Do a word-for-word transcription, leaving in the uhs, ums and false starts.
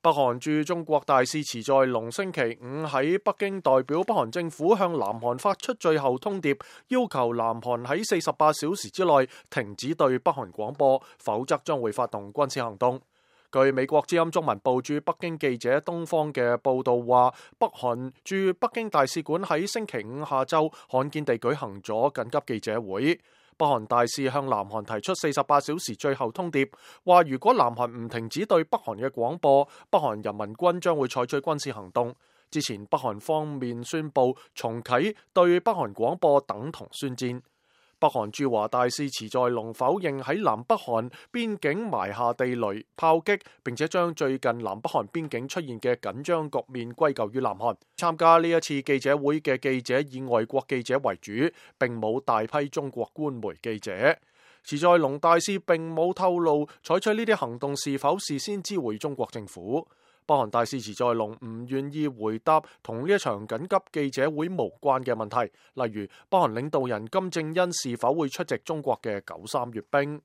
北韓駐中國大使池在龍星期五喺北京代表北韓政府向南韓發出最後通牒，要求南韓喺四十八小時之內停止對北韓廣播，否則將會發動軍事行動。據美國之音中文部駐北京記者東方嘅報道話，北韓駐北京大使館喺星期五下晝罕見地舉行咗緊急記者會。北韓大使向南韓提出四十八小時最後通牒，話如果南韓唔停止對北韓嘅廣播，北韓人民軍將會採取軍事行動。之前北韓方面宣布重啟對北韓廣播等同宣戰。北韓駐華大使池在龍否認喺南北韓邊境埋下地雷炮擊，並且將最近南北韓邊境出現嘅緊張局面歸咎於南韓。參加呢一次記者會嘅記者以外國記者為主，並冇大批中國官媒記者。池在龍大使並冇透露採取呢啲行動是否事先知會中國政府。北韓大使池在龍唔願意回答同呢一場緊急記者會無關嘅問題，例如北韓領導人金正恩是否會出席中國嘅九三閱兵。